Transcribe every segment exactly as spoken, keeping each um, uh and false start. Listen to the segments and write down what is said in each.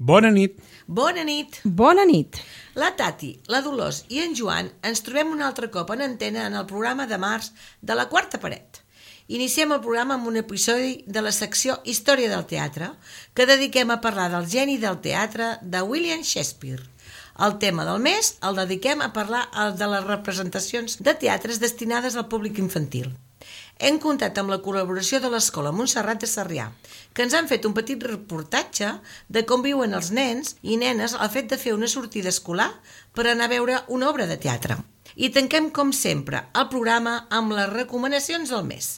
Bona nit. Bona nit. Bona nit. La Tati, la Dolors i en Joan ens trobem un altre cop en antena en el programa de març de La Quarta Paret. Iniciem el programa amb un episodi de la secció Història del Teatre, que dediquem a parlar del geni del teatre de William Shakespeare. El tema del mes el dediquem a parlar de les representacions de teatres destinades al públic infantil. Hem comptat amb la col·laboració de l'Escola Montserrat de Sarrià, que ens han fet un petit reportatge de com viuen els nens i nenes al fet de fer una sortida escolar per anar a veure una obra de teatre. I tanquem, com sempre, el programa amb les recomanacions del mes.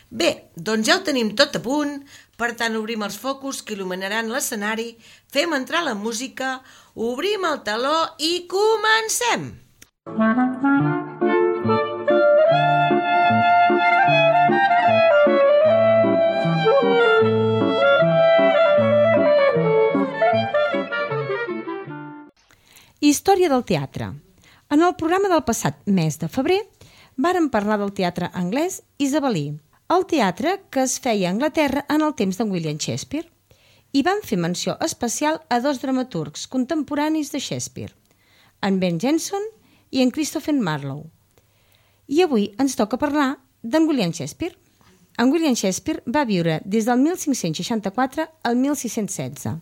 Bé, doncs ja ho tenim tot a punt, per tant obrim els focus que il·luminaran l'escenari, fem entrar la música, obrim el teló i comencem! Història del teatre. En el programa del passat mes de febrer vàrem parlar del teatre anglès isabelí, el teatre que es feia a Anglaterra en el temps de William Shakespeare, i vam fer menció especial a dos dramaturgs contemporanis de Shakespeare, en Ben Jonson i en Christopher Marlowe. I avui ens toca parlar d'en William Shakespeare. En William Shakespeare va viure des del mil cinc-cents seixanta-quatre al mil sis-cents setze.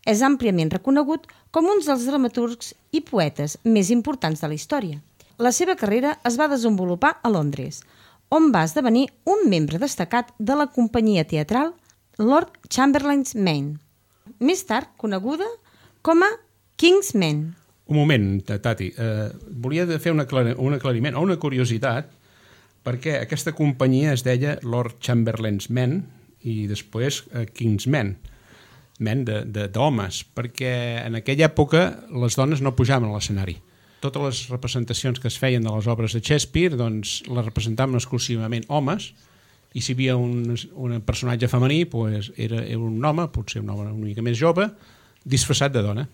És àmpliament reconegut com un dels dramaturgs i poetes més importants de la història. La seva carrera es va desenvolupar a Londres, on va esdevenir un membre destacat de la companyia teatral Lord Chamberlain's Men, més tard coneguda com a King's Men. Un moment, Tati. Eh, volia fer un, aclar un aclariment o una curiositat, perquè aquesta companyia es deia Lord Chamberlain's Men i després eh, King's Men. men d'homes, perquè en aquella època les dones no pujaven a l'escenari. Totes les representacions que es feien de les obres de Shakespeare doncs, les representaven exclusivament homes, i si hi havia un, un personatge femení doncs era, era un home, potser un home una mica més jove, disfressat de dona.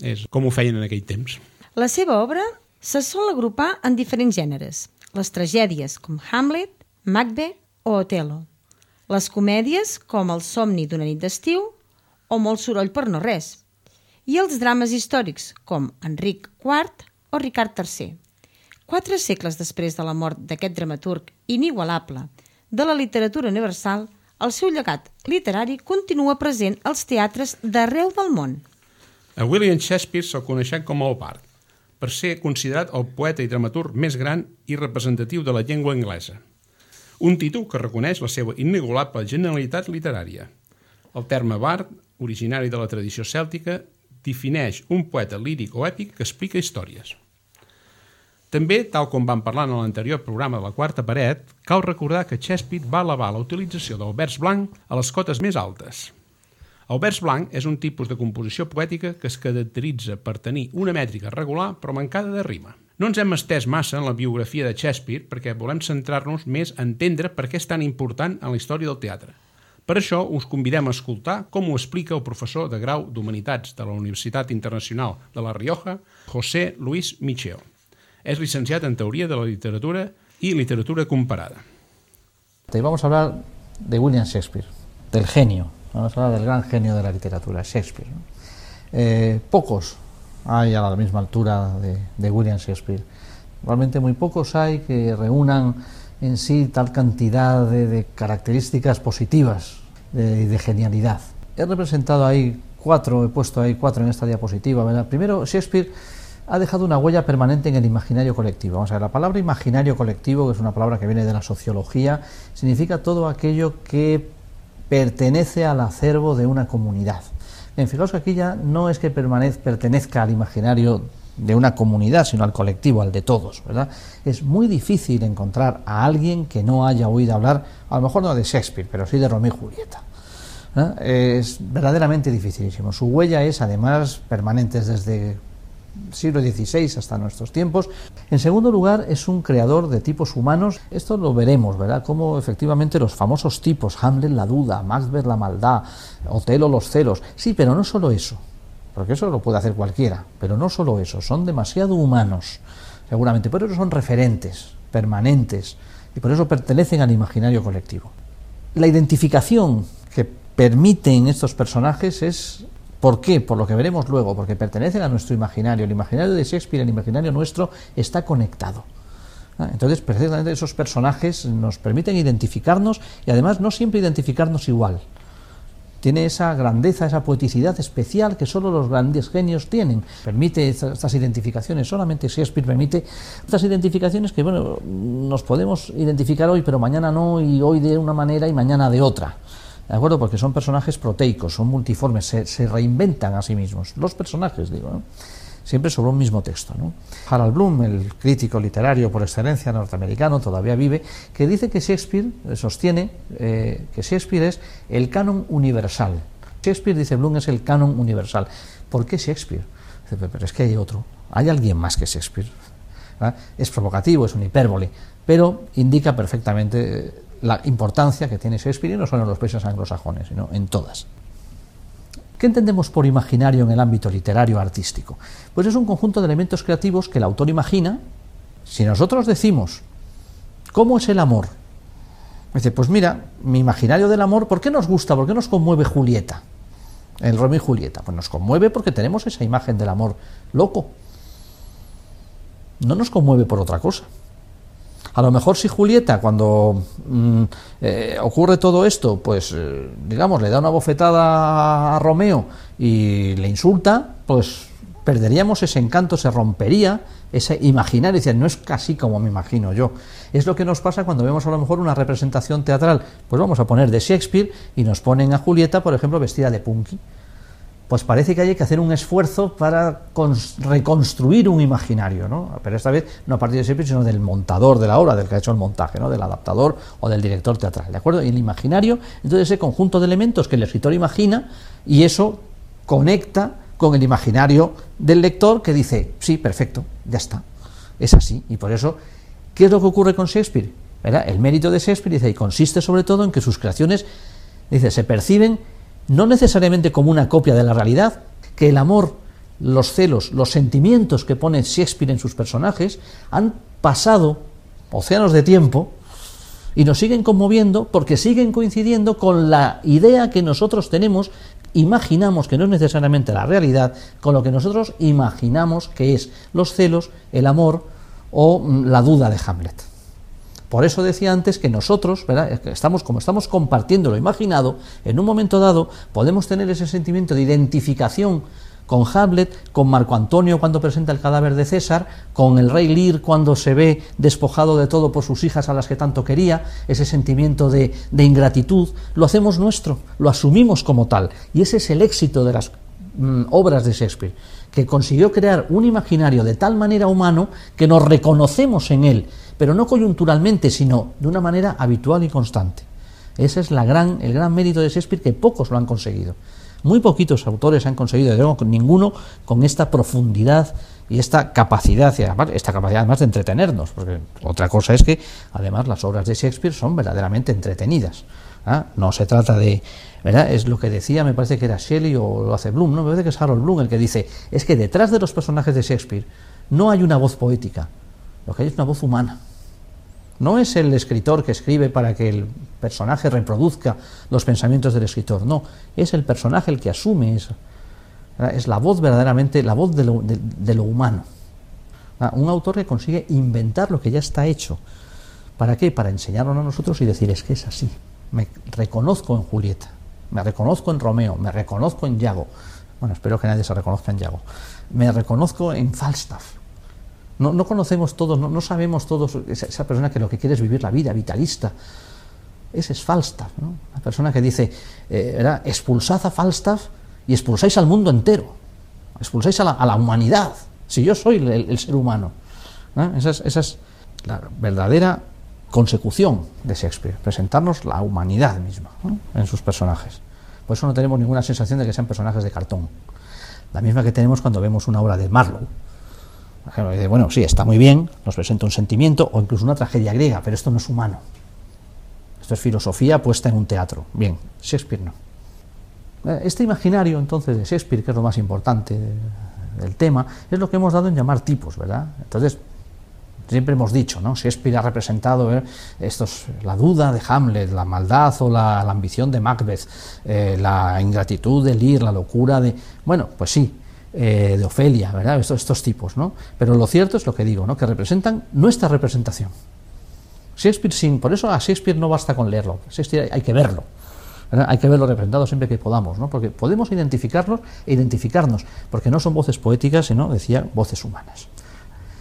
És com ho feien en aquell temps. La seva obra se sol agrupar en diferents gèneres. Les tragèdies com Hamlet, Macbeth o Othello. Les comèdies com El somni d'una nit d'estiu o Molt soroll per no res, i els drames històrics com Enric quart o Ricard tercer. Quatre segles després de la mort d'aquest dramaturg inigualable de la literatura universal, el seu llegat literari continua present als teatres d'arreu del món. A William Shakespeare se'l coneixen com el Bard, per ser considerat el poeta i dramaturg més gran i representatiu de la llengua anglesa. Un títol que reconeix la seva inigualable genialitat literària. El terme Bard, originari de la tradició cèltica, defineix un poeta líric o èpic que explica històries. També, tal com vam parlar en l'anterior programa de La Quarta Paret, cal recordar que Shakespeare va elevar la utilització del vers blanc a les cotes més altes. El vers blanc és un tipus de composició poètica que es caracteritza per tenir una mètrica regular però mancada de rima. No ens hem estès massa en la biografia de Shakespeare perquè volem centrar-nos més a entendre per què és tan important en la història del teatre. Per això us convidem a escoltar com ho explica el professor de grau d'Humanitats de la Universitat Internacional de La Rioja, José Luis Micheo. Es licenciat en Teoria de la Literatura y Literatura Comparada. Vamos a hablar de William Shakespeare, del genio, vamos a hablar del gran genio de la literatura, Shakespeare, ¿no? Eh, pocos hay a la misma altura de, de William Shakespeare. Realmente muy pocos hay que reúnan en sí tal cantidad de, de características positivas y de, de genialidad. He representado ahí cuatro, he puesto ahí cuatro en esta diapositiva, ¿verdad? Primero, Shakespeare ha dejado una huella permanente en el imaginario colectivo. Vamos a ver, la palabra imaginario colectivo, que es una palabra que viene de la sociología, significa todo aquello que pertenece al acervo de una comunidad. Bien, fijaos que aquí ya no es que pertenezca al imaginario de una comunidad, sino al colectivo, al de todos, ¿verdad? Es muy difícil encontrar a alguien que no haya oído hablar, a lo mejor no de Shakespeare, pero sí de Romeo y Julieta, ¿no? Es verdaderamente dificilísimo. Su huella es, además, permanente desde el siglo dieciséis hasta nuestros tiempos. En segundo lugar, es un creador de tipos humanos. Esto lo veremos, ¿verdad? Cómo efectivamente los famosos tipos, Hamlet la duda, Macbeth la maldad, Otelo los celos. Sí, pero no solo eso, porque eso lo puede hacer cualquiera, pero no solo eso, son demasiado humanos, seguramente, por eso son referentes, permanentes, y por eso pertenecen al imaginario colectivo. La identificación que permiten estos personajes es ¿Por qué? Por lo que veremos luego, porque pertenecen a nuestro imaginario. El imaginario de Shakespeare, el imaginario nuestro, está conectado. Entonces, precisamente esos personajes nos permiten identificarnos y además no siempre identificarnos igual. Tiene esa grandeza, esa poeticidad especial que solo los grandes genios tienen. Permite estas identificaciones, solamente Shakespeare permite estas identificaciones que, bueno, nos podemos identificar hoy, pero mañana no, y hoy de una manera y mañana de otra. ¿De acuerdo? Porque son personajes proteicos, son multiformes, se, se reinventan a sí mismos. Los personajes, digo, ¿no? Siempre sobre un mismo texto, ¿no? Harold Bloom, el crítico literario por excelencia norteamericano, todavía vive, que dice que Shakespeare, sostiene eh, que Shakespeare es el canon universal. Shakespeare, dice Bloom, es el canon universal. ¿Por qué Shakespeare? Dice, pero es que hay otro, hay alguien más que Shakespeare. ¿Ah? Es provocativo, es una hipérbole, pero indica perfectamente la importancia que tiene Shakespeare, y no solo en los países anglosajones, sino en todas. ¿Qué entendemos por imaginario en el ámbito literario artístico? Pues es un conjunto de elementos creativos que el autor imagina. Si nosotros decimos, ¿cómo es el amor? Dice, pues mira, mi imaginario del amor, ¿por qué nos gusta? ¿Por qué nos conmueve Julieta? El Romeo y Julieta. Pues nos conmueve porque tenemos esa imagen del amor loco. No nos conmueve por otra cosa. A lo mejor si Julieta, cuando mmm, eh, ocurre todo esto, pues eh, digamos, le da una bofetada a Romeo y le insulta, pues perderíamos ese encanto, se rompería ese imaginario, decir, no es casi como me imagino yo. Es lo que nos pasa cuando vemos a lo mejor una representación teatral, pues vamos a poner de Shakespeare y nos ponen a Julieta, por ejemplo, vestida de punky. Pues parece que hay que hacer un esfuerzo para reconstruir un imaginario, ¿no? Pero esta vez no a partir de Shakespeare, sino del montador de la obra, del que ha hecho el montaje, ¿no? Del adaptador o del director teatral, ¿de acuerdo? Y el imaginario, entonces, ese conjunto de elementos que el escritor imagina, y eso conecta con el imaginario del lector, que dice, sí, perfecto, ya está, es así. Y por eso, ¿qué es lo que ocurre con Shakespeare? ¿Verdad? El mérito de Shakespeare, dice, y consiste sobre todo en que sus creaciones, dice, se perciben no necesariamente como una copia de la realidad, que el amor, los celos, los sentimientos que pone Shakespeare en sus personajes han pasado océanos de tiempo y nos siguen conmoviendo porque siguen coincidiendo con la idea que nosotros tenemos, imaginamos, que no es necesariamente la realidad, con lo que nosotros imaginamos que es los celos, el amor o la duda de Hamlet. Por eso decía antes que nosotros, ¿verdad? Estamos, como estamos compartiendo lo imaginado, en un momento dado podemos tener ese sentimiento de identificación con Hamlet, con Marco Antonio cuando presenta el cadáver de César, con el rey Lear cuando se ve despojado de todo por sus hijas a las que tanto quería, ese sentimiento de, de ingratitud, lo hacemos nuestro, lo asumimos como tal, y ese es el éxito de las mm, obras de Shakespeare, que consiguió crear un imaginario de tal manera humano que nos reconocemos en él, pero no coyunturalmente, sino de una manera habitual y constante. Ese es la gran, el gran mérito de Shakespeare, que pocos lo han conseguido. Muy poquitos autores han conseguido, de con ninguno, con esta profundidad y esta capacidad, y además, esta capacidad además de entretenernos, porque otra cosa es que además las obras de Shakespeare son verdaderamente entretenidas. ¿Ah? No se trata de, ¿verdad? Es lo que decía, me parece que era Shelley o lo hace Bloom, no, me parece que es Harold Bloom el que dice, es que detrás de los personajes de Shakespeare no hay una voz poética, lo que hay es una voz humana. No es el escritor que escribe para que el personaje reproduzca los pensamientos del escritor, no, es el personaje el que asume eso. Es la voz verdaderamente, la voz de lo, de, de lo humano. Un autor que consigue inventar lo que ya está hecho. ¿Para qué? Para enseñarlo a nosotros y decir, es que es así. Me reconozco en Julieta, me reconozco en Romeo, me reconozco en Iago. Bueno, espero que nadie se reconozca en Iago. Me reconozco en Falstaff. No, no conocemos todos, no, no sabemos todos, esa, esa persona que lo que quiere es vivir la vida, vitalista. Ese es Falstaff, ¿no? La persona que dice, eh, ¿verdad? Expulsad a Falstaff y expulsáis al mundo entero, expulsáis a la, a la humanidad, si yo soy el, el ser humano. ¿No? Esa, es, esa es la verdadera consecución de Shakespeare, presentarnos la humanidad misma, ¿no? En sus personajes. Por eso no tenemos ninguna sensación de que sean personajes de cartón, la misma que tenemos cuando vemos una obra de Marlowe. Bueno, sí, está muy bien, nos presenta un sentimiento o incluso una tragedia griega, pero esto no es humano. Esto es filosofía puesta en un teatro. Bien, Shakespeare no. Este imaginario, entonces, de Shakespeare, que es lo más importante del tema, es lo que hemos dado en llamar tipos, ¿verdad? Entonces, Siempre hemos dicho, ¿no? Shakespeare ha representado eh, estos, la duda de Hamlet, la maldad o la, la ambición de Macbeth, eh, la ingratitud de Lear, la locura de... Bueno, pues sí, eh, de Ofelia, ¿verdad? Estos, estos tipos, ¿no? Pero lo cierto es lo que digo, ¿no? Que representan nuestra representación. Shakespeare sin... Por eso a Shakespeare no basta con leerlo, Shakespeare hay que verlo. ¿Verdad? Hay que verlo representado siempre que podamos, ¿no? Porque podemos identificarlos e identificarnos, porque no son voces poéticas, sino, decía, voces humanas.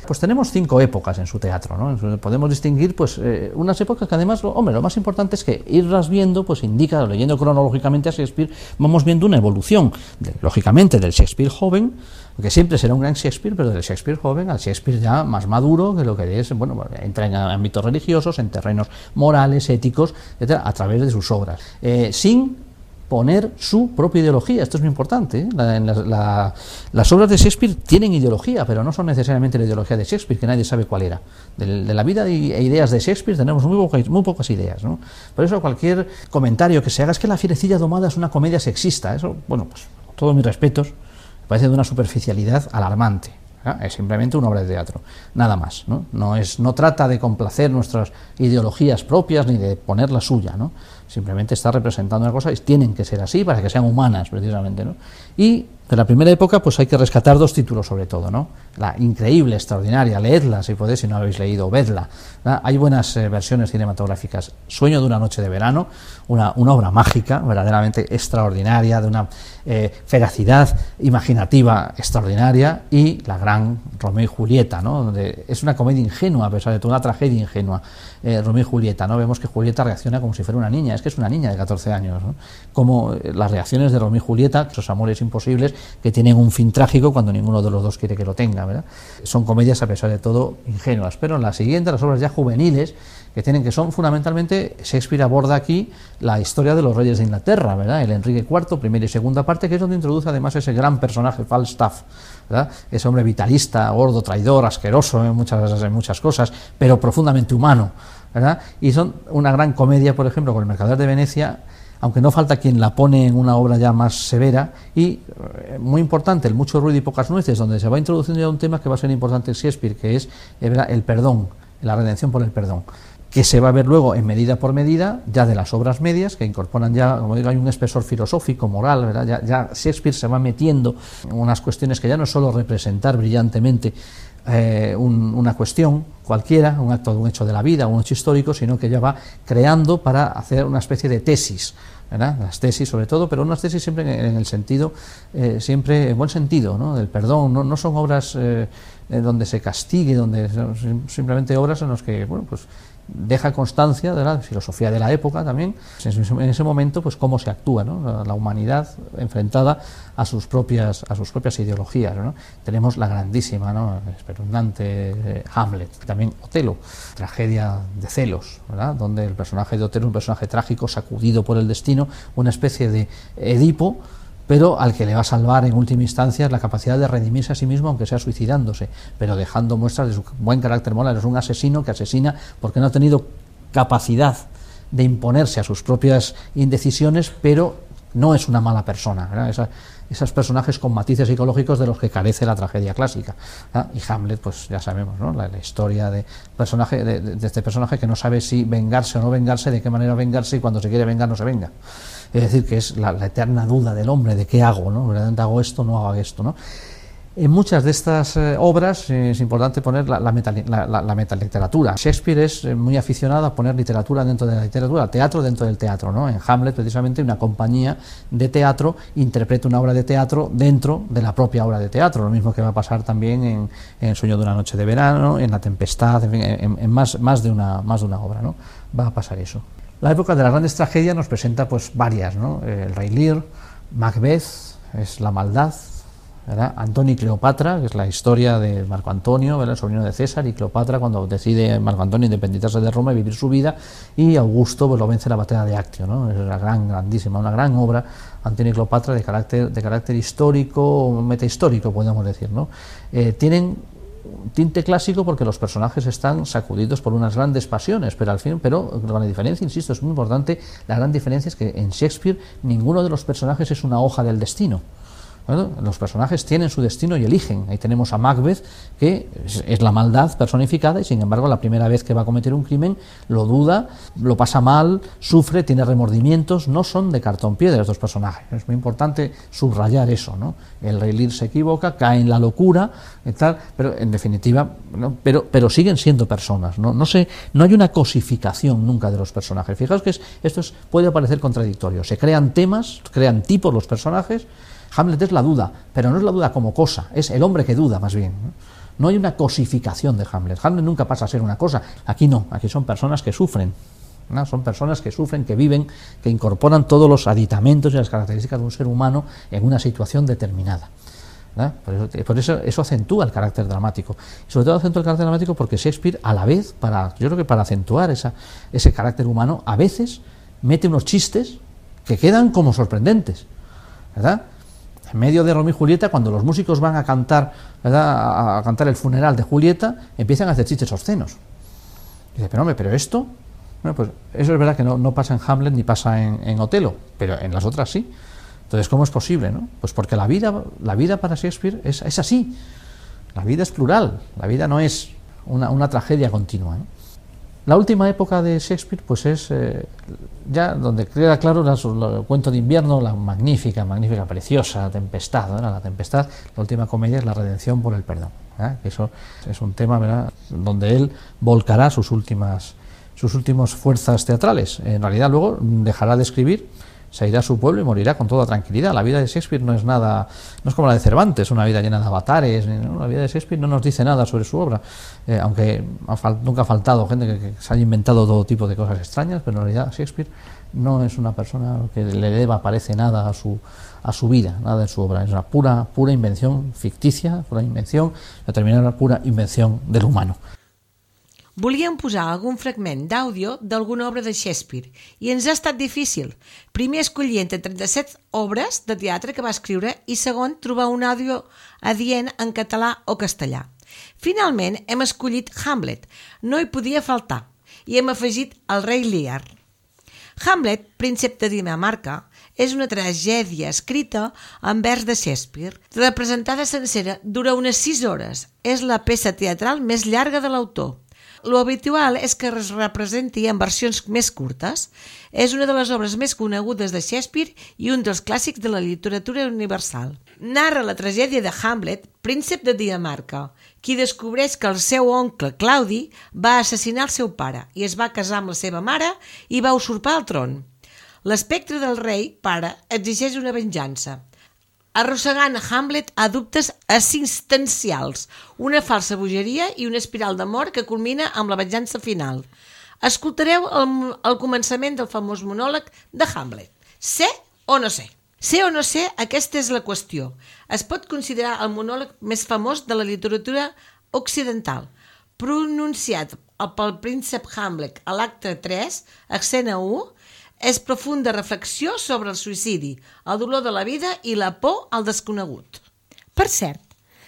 Pues tenemos cinco épocas en su teatro, ¿no? Podemos distinguir pues eh, unas épocas que además, lo, hombre, lo más importante es que irlas viendo, pues indica, leyendo cronológicamente a Shakespeare, vamos viendo una evolución, de, lógicamente, del Shakespeare joven, que siempre será un gran Shakespeare, pero del Shakespeare joven al Shakespeare ya más maduro, que lo que es, bueno, entra en ámbitos religiosos, en terrenos morales, éticos, etcétera, a través de sus obras, eh, sin poner su propia ideología. Esto es muy importante, ¿eh? La, la, la, las obras de Shakespeare tienen ideología, pero no son necesariamente la ideología de Shakespeare, que nadie sabe cuál era. De, de la vida e ideas de Shakespeare tenemos muy pocas, muy pocas ideas, ¿no? Por eso cualquier comentario que se haga es que La Fierecilla domada es una comedia sexista. Eso, bueno, pues con todos mis respetos, me parece de una superficialidad alarmante. ¿eh? Es simplemente una obra de teatro, nada más, ¿no? No, es, no trata de complacer nuestras ideologías propias ni de poner la suya, ¿no? Simplemente está representando una cosa y tienen que ser así para que sean humanas, precisamente, ¿no? Y de la primera época pues hay que rescatar dos títulos sobre todo, ¿no? La increíble, extraordinaria, leedla si podéis, si no la habéis leído, vedla, ¿no? Hay buenas eh, versiones cinematográficas. Sueño de una noche de verano, una, una obra mágica, verdaderamente extraordinaria, de una eh, feracidad imaginativa extraordinaria, y la gran Romeo y Julieta, ¿no? Donde es una comedia ingenua, a pesar de toda una tragedia ingenua. Eh, Romeo y Julieta, ¿no? Vemos que Julieta reacciona como si fuera una niña, es que es una niña de catorce años, ¿no? Como eh, las reacciones de Romeo y Julieta, esos amores imposibles que tienen un fin trágico cuando ninguno de los dos quiere que lo tenga, ¿verdad? Son comedias a pesar de todo ingenuas, pero en la siguiente, las obras ya juveniles, que tienen que son fundamentalmente, Shakespeare aborda aquí la historia de los reyes de Inglaterra, ¿verdad? El Enrique cuarto, primera y segunda parte, que es donde introduce además ese gran personaje, Falstaff, ¿verdad? Ese hombre vitalista, gordo, traidor, asqueroso en muchas, en muchas cosas, pero profundamente humano, ¿verdad? Y son una gran comedia, por ejemplo, con El Mercader de Venecia, aunque no falta quien la pone en una obra ya más severa, y eh, muy importante, El mucho ruido y pocas nueces, donde se va introduciendo ya un tema que va a ser importante en Shakespeare, que es eh, el perdón, la redención por el perdón, que se va a ver luego en Medida por Medida, ya de las obras medias, que incorporan ya, como digo, hay un espesor filosófico, moral, ¿verdad? Ya, ya Shakespeare se va metiendo en unas cuestiones que ya no es solo representar brillantemente eh, un, una cuestión cualquiera, un acto, un hecho de la vida, un hecho histórico, sino que ya va creando para hacer una especie de tesis, ¿verdad? Las tesis sobre todo, pero unas tesis siempre en, en el sentido, eh, siempre en buen sentido, ¿no? Del perdón. No, no son obras eh, donde se castigue, donde simplemente obras en las que, bueno, pues deja constancia de la filosofía de la época también, en ese momento, pues cómo se actúa, ¿no? La humanidad enfrentada a sus propias a sus propias ideologías, ¿no? Tenemos la grandísima, ¿no? Espeluznante eh, Hamlet, también Otelo, tragedia de celos, ¿verdad? Donde el personaje de Otelo es un personaje trágico, sacudido por el destino, una especie de Edipo, pero al que le va a salvar en última instancia la capacidad de redimirse a sí mismo, aunque sea suicidándose, pero dejando muestras de su buen carácter moral. Es un asesino que asesina porque no ha tenido capacidad de imponerse a sus propias indecisiones, pero no es una mala persona, ¿verdad? Esa, esos personajes con matices psicológicos de los que carece la tragedia clásica, ¿verdad? Y Hamlet, pues ya sabemos, ¿no? la, la historia de, personaje, de, de este personaje que no sabe si vengarse o no vengarse, de qué manera vengarse, y cuando se quiere vengar no se venga. Es decir, que es la, la eterna duda del hombre de qué hago, ¿no? ¿Verdaderamente hago esto o no hago esto, ¿no? En muchas de estas eh, obras eh, es importante poner la, la, meta, la, la, la metaliteratura. Shakespeare es eh, muy aficionado a poner literatura dentro de la literatura, teatro dentro del teatro, ¿no? En Hamlet, precisamente, una compañía de teatro interpreta una obra de teatro dentro de la propia obra de teatro, lo mismo que va a pasar también en, en Sueño de una noche de verano, en La tempestad, en, fin, en, en más, más, de una, más de una obra, ¿no? Va a pasar eso. La época de las grandes tragedias nos presenta pues varias, ¿no? El Rey Lear, Macbeth, es la maldad, ¿verdad? Antonio y Cleopatra, que es la historia de Marco Antonio, ¿verdad? El sobrino de César, y Cleopatra cuando decide Marco Antonio independizarse de Roma y vivir su vida, y Augusto pues lo vence en la batalla de Actio, ¿no? Es una gran, grandísima, una gran obra, Antonio y Cleopatra, de carácter, de carácter histórico, metahistórico, podemos decir, ¿no? Eh, tienen tinte clásico porque los personajes están sacudidos por unas grandes pasiones, pero al fin, pero la diferencia, insisto, es muy importante, la gran diferencia es que en Shakespeare ninguno de los personajes es una hoja del destino, ¿no? Los personajes tienen su destino y eligen. Ahí tenemos a Macbeth, que es, es la maldad personificada, y sin embargo la primera vez que va a cometer un crimen lo duda, lo pasa mal, sufre, tiene remordimientos. No son de cartón piedra estos personajes. Es muy importante subrayar eso, ¿no? El rey Lear se equivoca, cae en la locura y tal, pero en definitiva, ¿no? pero, pero siguen siendo personas, ¿no? No sé, no hay una cosificación nunca de los personajes. Fijaos que es, esto es, puede parecer contradictorio. Se crean temas, crean tipos los personajes. Hamlet es la duda, pero no es la duda como cosa, es el hombre que duda más bien, ¿no? No hay una cosificación de Hamlet. Hamlet nunca pasa a ser una cosa. Aquí no, aquí son personas que sufren, ¿no? Son personas que sufren, que viven, que incorporan todos los aditamentos y las características de un ser humano en una situación determinada, ¿no? Por eso, por eso eso acentúa el carácter dramático. Y sobre todo acentúa el carácter dramático porque Shakespeare, a la vez, para, yo creo que para acentuar esa, ese carácter humano, a veces mete unos chistes que quedan como sorprendentes, ¿verdad? En medio de Romeo y Julieta, cuando los músicos van a cantar, ¿verdad?, a, a cantar el funeral de Julieta, empiezan a hacer chistes obscenos. Y dice, pero hombre, ¿pero esto? Bueno, pues eso es verdad que no, no pasa en Hamlet ni pasa en, en Otelo, pero en las otras sí. Entonces, ¿cómo es posible, no? Pues porque la vida, la vida para Shakespeare es, es así. La vida es plural, la vida no es una, una tragedia continua, ¿no? La última época de Shakespeare, pues es eh, ya donde queda claro la, la, el cuento de invierno, la magnífica, magnífica, preciosa Tempestad, ¿no? La Tempestad, la última comedia es la redención por el perdón, ¿eh? Eso es un tema, ¿verdad?, donde él volcará sus últimas, sus últimas fuerzas teatrales. En realidad luego dejará de escribir, se irá a su pueblo y morirá con toda tranquilidad. La vida de Shakespeare no es nada, no es como la de Cervantes, una vida llena de avatares, ¿no? La vida de Shakespeare no nos dice nada sobre su obra, eh, aunque ha fal- nunca ha faltado gente que, que se haya inventado todo tipo de cosas extrañas, pero en realidad Shakespeare no es una persona que le deba, parece, nada a su, a su vida, nada en su obra. Es una pura, pura invención ficticia, pura invención, determinada pura invención del humano. Volíem posar algun fragment d'àudio d'alguna obra de Shakespeare i ens ha estat difícil. Primer escollir entre trenta-set obres de teatre que va escriure i segon trobar un àudio adient en català o castellà. Finalment hem escollit Hamlet, no hi podia faltar, i hem afegit el rei Lear. Hamlet, príncep de Dinamarca, és una tragèdia escrita en vers de Shakespeare, representada sencera, dura unes sis hores. És la peça teatral més llarga de l'autor. Lo habitual és que es representi en versions més curtes. És una de les obres més conegudes de Shakespeare i un dels clàssics de la literatura universal. Narra la tragèdia de Hamlet, príncep de Dinamarca, qui descobreix que el seu oncle Claudi va assassinar el seu pare i es va casar amb la seva mare i va usurpar el tron. L'espectre del rei, pare, exigeix una venjança, arrossegant Hamlet a dubtes existencials, una falsa bogeria i una espiral d'amor que culmina amb la venjança final. Escoltareu el, el començament del famós monòleg de Hamlet. Sé o no sé? Sé o no sé, aquesta és la qüestió. Es pot considerar el monòleg més famós de la literatura occidental, pronunciat pel príncep Hamlet a l'acte tres, escena u, és profunda reflexió sobre el suïcidi, el dolor de la vida i la por al desconegut. Per cert,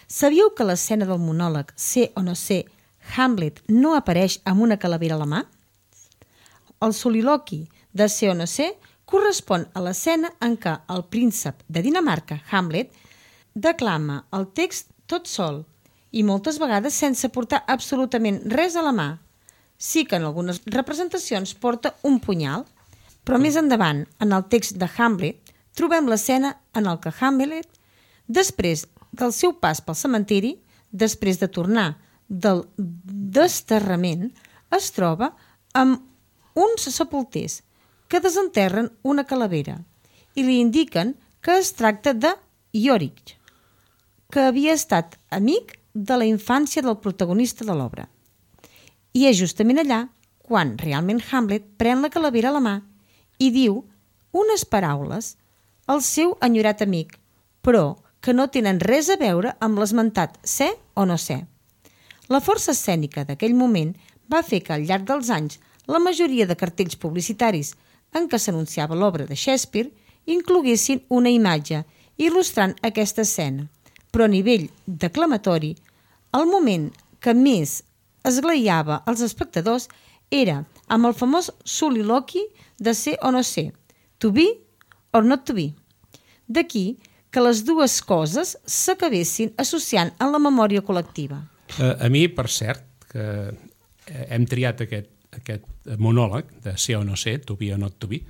sabíeu que a l'escena del monòleg Sé o no sé, Hamlet no apareix amb una calavera a la mà? El soliloqui de Sé o no sé correspon a l'escena en què el príncep de Dinamarca, Hamlet, declama el text tot sol i moltes vegades sense portar absolutament res a la mà. Sí que en algunes representacions porta un punyal, però més endavant, en el text de Hamlet, trobem l'escena en el que Hamlet, després del seu pas pel cementiri, després de tornar del desterrament, es troba amb uns sepulters que desenterren una calavera i li indiquen que es tracta de Yorick, que havia estat amic de la infància del protagonista de l'obra. I és justament allà quan realment Hamlet pren la calavera a la mà i diu unes paraules al seu enyorat amic, però que no tenen res a veure amb l'esmentat sé o no sé. La força escènica d'aquell moment va fer que al llarg dels anys la majoria de cartells publicitaris en què s'anunciava l'obra de Shakespeare incloguessin una imatge il·lustrant aquesta escena, però a nivell declamatori, el moment que més esglaiava els espectadors era amb el famós soliloqui de Sé o no sé, to be or not to be. D'aquí que les dues coses s'acabessin associant en la memòria col·lectiva. A, a mi, per cert, que hem triat aquest, aquest monòleg de ser o no ser, to be o not to be,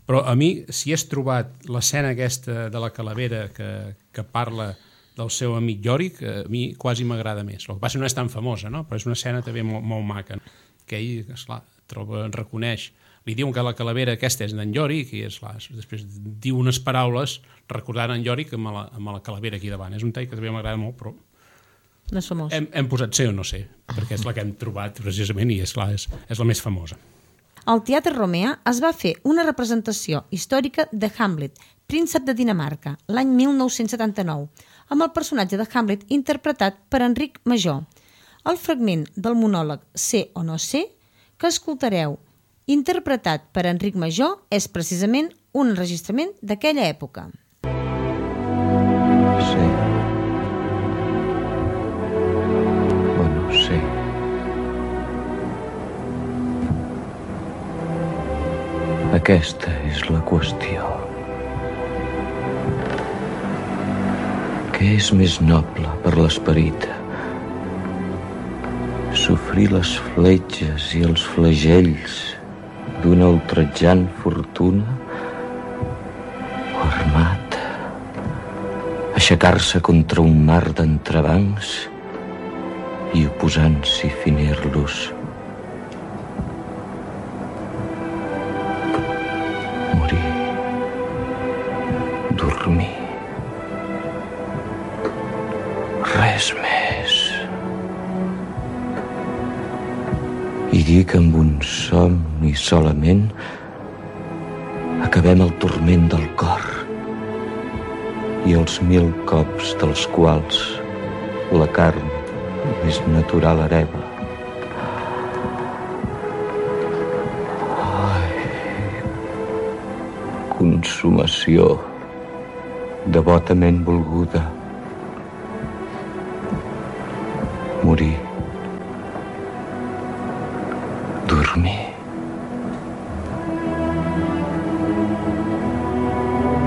però a mi, si has trobat l'escena aquesta de la calavera que, que parla del seu amic Yorick, a mi quasi m'agrada més. El que passa no és tan famosa, no? Però és una escena també molt, molt maca, que ell, esclar, troba, reconeix, li diuen que la calavera aquesta és d'en Yorick i esclar, després diu unes paraules recordant en Yorick amb la, amb la calavera aquí davant. És un tall que també m'agrada molt, però no és famós. Hem, hem posat ser o no ser, perquè és la que hem trobat precisament i és, clar, és, és la més famosa. Al Teatre Romea es va fer una representació històrica de Hamlet, príncep de Dinamarca, l'any mil nou-cents setanta-nou, amb el personatge de Hamlet interpretat per Enric Major. El fragment del monòleg Ser o no ser, que escoltareu interpretat per Enric Major, és precisament un enregistrament d'aquella època. Sí. O no sé. Aquesta és la qüestió. Què és més noble per l'esperit? Sofrir les fletxes i els flagells d'una ultratjant fortuna o armat, aixecar-se contra un mar d'entrebancs i oposant-s'hi finir-los. Morir, dormir, res més. I dir que amb un somni solament acabem el turment del cor i els mil cops dels quals la carn més natural hereva. Ai, consumació devotament volguda. Morir. Dormir.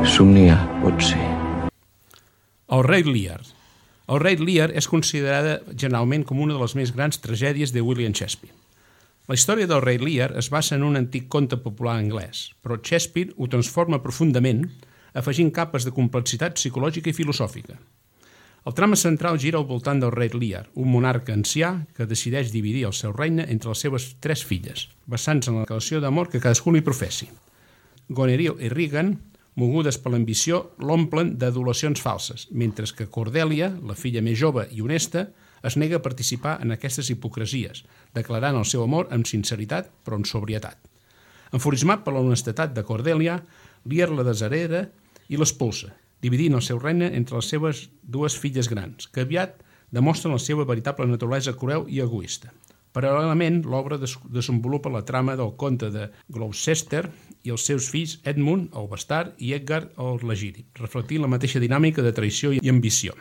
Somniar, pot ser. El rei Lear. El rei Lear és considerada generalment com una de les més grans tragèdies de William Shakespeare. La història del rei Lear es basa en un antic conte popular anglès, però Shakespeare ho transforma profundament, afegint capes de complexitat psicològica i filosòfica. El trama central gira al voltant del rei Lear, un monarca ancià que decideix dividir el seu regne entre les seves tres filles, basant-se en la relació d'amor que cadascú li professi. Goneril i Regan, mogudes per l'ambició, l'omplen d'adulacions falses, mentre que Cordelia, la filla més jove i honesta, es nega a participar en aquestes hipocresies, declarant el seu amor amb sinceritat però amb sobrietat. Enfurismat per l'honestedat de Cordelia, Lear la deshereda i l'expulsa, dividint el seu regne entre les seves dues filles grans, que aviat demostren la seva veritable naturalesa cruel i egoista. Paral·lelament, l'obra des desenvolupa la trama del conte de Gloucester i els seus fills Edmund, el bastard, i Edgar, el legítim, reflectint la mateixa dinàmica de traïció i ambició.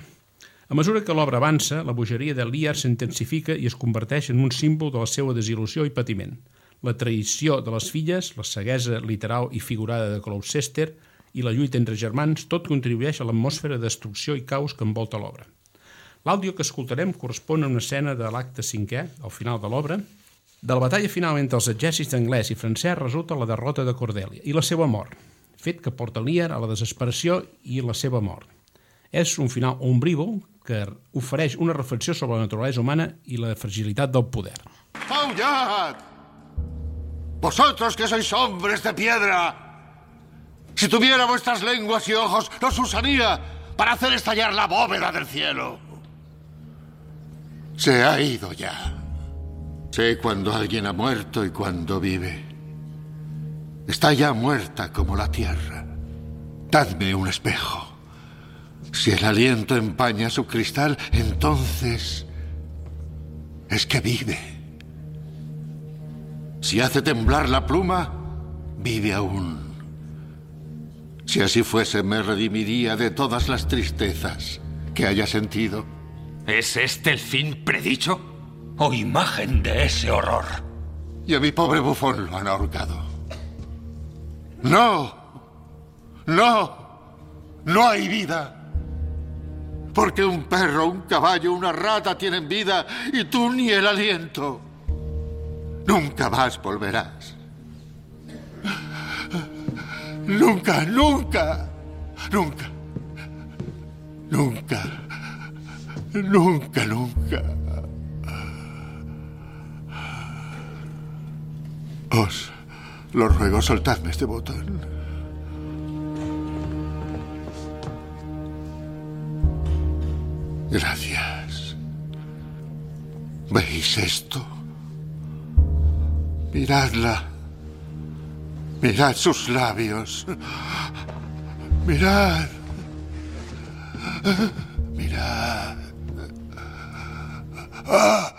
A mesura que l'obra avança, la bogeria de Lear s'intensifica i es converteix en un símbol de la seva desil·lusió i patiment. La traïció de les filles, la ceguesa literal i figurada de Gloucester i la lluita entre germans, tot contribueix a l'atmosfera de destrucció i caos que envolta l'obra. L'àudio que escoltarem correspon a una escena de l'acte cinquè, al final de l'obra. De la batalla final entre els exèrcits anglès i francès resulta la derrota de Cordelia i la seva mort, fet que porta Lear a la desesperació i la seva mort. És un final ombrívol que ofereix una reflexió sobre la naturalesa humana i la fragilitat del poder. ¡Aullad! ¡Vosotros que sois hombres de piedra! Si tuviera vuestras lenguas y ojos, los usaría para hacer estallar la bóveda del cielo. Se ha ido ya. Sé cuando alguien ha muerto y cuando vive. Está ya muerta como la tierra. Dadme un espejo. Si el aliento empaña su cristal, entonces es que vive. Si hace temblar la pluma, vive aún. Si así fuese, me redimiría de todas las tristezas que haya sentido. ¿Es este el fin predicho o imagen de ese horror? Y a mi pobre bufón lo han ahorcado. ¡No! ¡No! ¡No hay vida! Porque un perro, un caballo, una rata tienen vida y tú ni el aliento. Nunca más volverás. Nunca, nunca, nunca, nunca, nunca, nunca. Os lo ruego, soltadme este botón. Gracias. ¿Veis esto? Miradla. Mirad sus labios. Mirad. Mirad. Ah.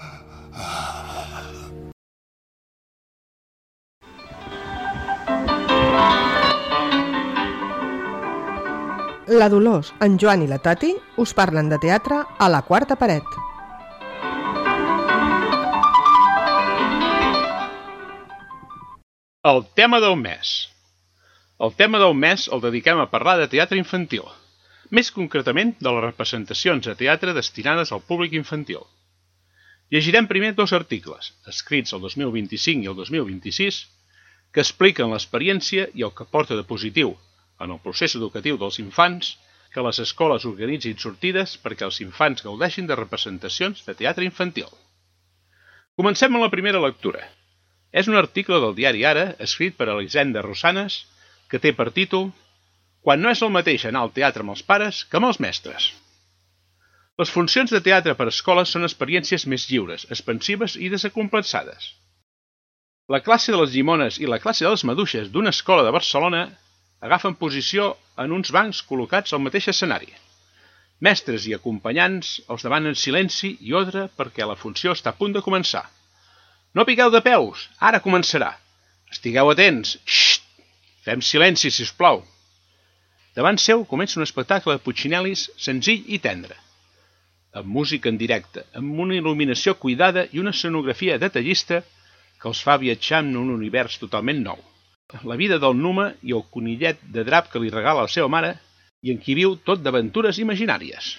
La Dolors, en Joan i la Tati us parlen de teatre a la quarta paret. El tema del mes. El tema del mes el dediquem a parlar de teatre infantil, més concretament de les representacions de teatre destinades al públic infantil. Llegirem primer dos articles, escrits el dos mil vint-i-cinc i el dos mil vint-i-sis, que expliquen l'experiència i el que porta de positiu en el procés educatiu dels infants que les escoles organitzin sortides perquè els infants gaudeixin de representacions de teatre infantil. Comencem amb la primera lectura. És un article del diari Ara, escrit per Elisenda Rosanes, que té per títol «Quan no és el mateix anar al teatre amb els pares que amb els mestres». Les funcions de teatre per escoles són experiències més lliures, expansives i desacomplexades. La classe de les llimones i la classe de les maduixes d'una escola de Barcelona agafen posició en uns bancs col·locats al mateix escenari. Mestres i acompanyants els demanen silenci i ordre perquè la funció està a punt de començar. No piqueu de peus, ara començarà. Estigueu atents. Xxt! Fem silenci, si us plau. Davant seu comença un espectacle de Puccinellis senzill i tendre, amb música en directe, amb una il·luminació cuidada i una escenografia detallista que els fa viatjar en un univers totalment nou. La vida del Numa i el conillet de drap que li regala la seva mare i en qui viu tot d'aventures imaginàries.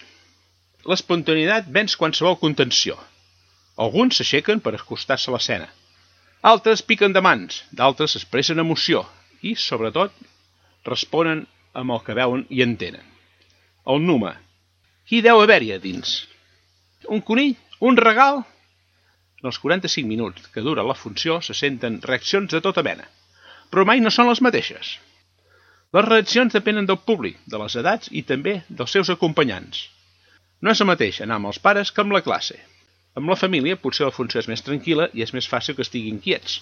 L'espontaneïtat venç qualsevol contenció. Alguns s'aixequen per acostar-se a l'escena. Altres piquen de mans, d'altres expressen emoció i, sobretot, responen amb el que veuen i entenen. El Numa. Qui deu haver-hi a dins? Un conill? Un regal? En els quaranta-cinc minuts que dura la funció se senten reaccions de tota mena, però mai no són les mateixes. Les reaccions depenen del públic, de les edats i també dels seus acompanyants. No és el mateix anar amb els pares que amb la classe. Amb la família potser la funció és més tranquil·la i és més fàcil que estiguin quiets,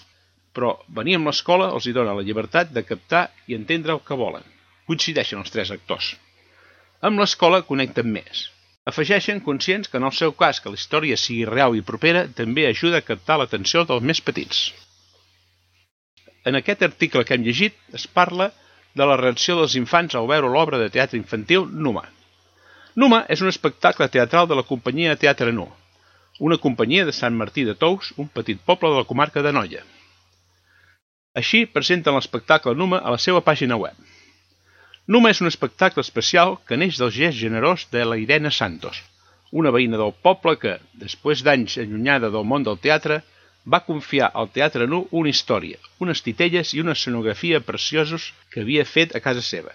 però venir amb l'escola els hi dona la llibertat de captar i entendre el que volen. Coincideixen els tres actors. Amb l'escola connecten més. Afegeixen conscients que en el seu cas que la història sigui real i propera també ajuda a captar l'atenció dels més petits. En aquest article que hem llegit es parla de la reacció dels infants al veure l'obra de teatre infantil Numa. Numa és un espectacle teatral de la companyia de teatre Nu, una companyia de Sant Martí de Tous, un petit poble de la comarca d'Anoia. Així presenten l'espectacle Numa a la seva pàgina web. Numa és un espectacle especial que neix del gest generós de la Irene Santos, una veïna del poble que, després d'anys allunyada del món del teatre, va confiar al Teatre Nu una història, unes titelles i una escenografia preciosos que havia fet a casa seva.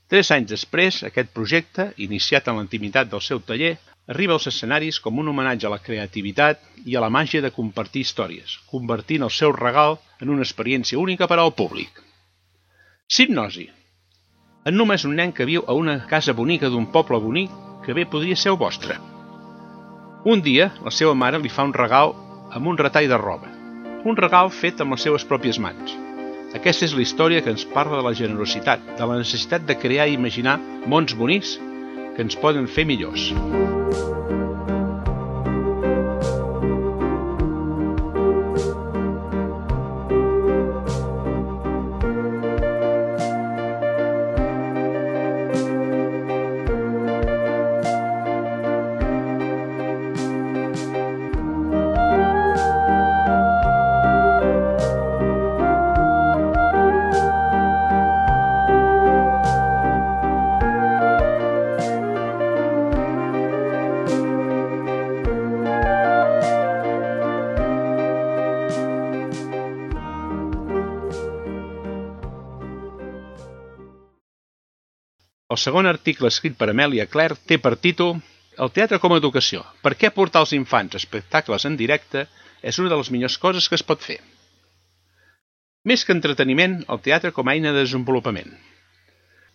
Tres anys després, aquest projecte, iniciat en la intimitat del seu taller, arriba als escenaris com un homenatge a la creativitat i a la màgia de compartir històries, convertint el seu regal en una experiència única per al públic. Hipnosi. En Numa és un nen que viu a una casa bonica d'un poble bonic que bé podria ser el vostre. Un dia, la seva mare li fa un regal amb un retall de roba, un regal fet amb les seves pròpies mans. Aquesta és la història que ens parla de la generositat, de la necessitat de crear i imaginar mons bonics que ens poden fer millors. El segon article escrit per Amelia Clare té per títol El teatre com a educació. Per què portar els infants a espectacles en directe és una de les millors coses que es pot fer. Més que entreteniment, el teatre com a eina de desenvolupament.